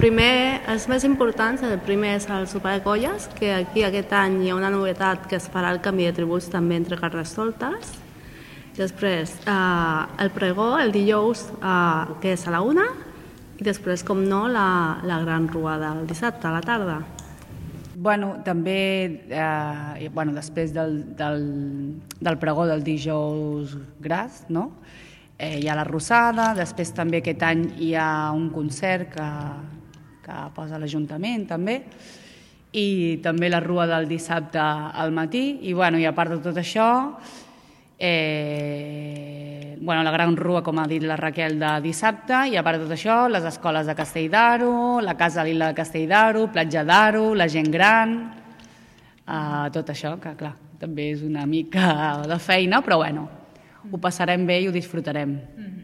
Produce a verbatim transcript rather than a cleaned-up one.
primer, els més importants, el primer és el sopar de colles, que aquí aquest any hi ha una novetat que es farà el canvi de tributs també entre Carnestoltes. Després, eh, el pregó, el dijous, eh, que és a la una, i després, com no, la, la gran ruada el dissabte a la tarda. Bueno, també, eh, bueno, després del, del, del pregó del dijous gras, no? Eh, hi ha la Rossada, després també aquest any hi ha un concert que, que posa l'Ajuntament també, i també la rua del dissabte al matí, i, bueno, i a part de tot això, eh, bueno, la gran rua, com ha dit la Raquel, de dissabte, i a part de tot això, les escoles de Castell d'Aro, la Casa Lila de Castell d'Aro, Platja d'Aro, la gent gran, eh, tot això, que clar, també és una mica de feina, però bueno, ho passarem bé i ho disfrutarem.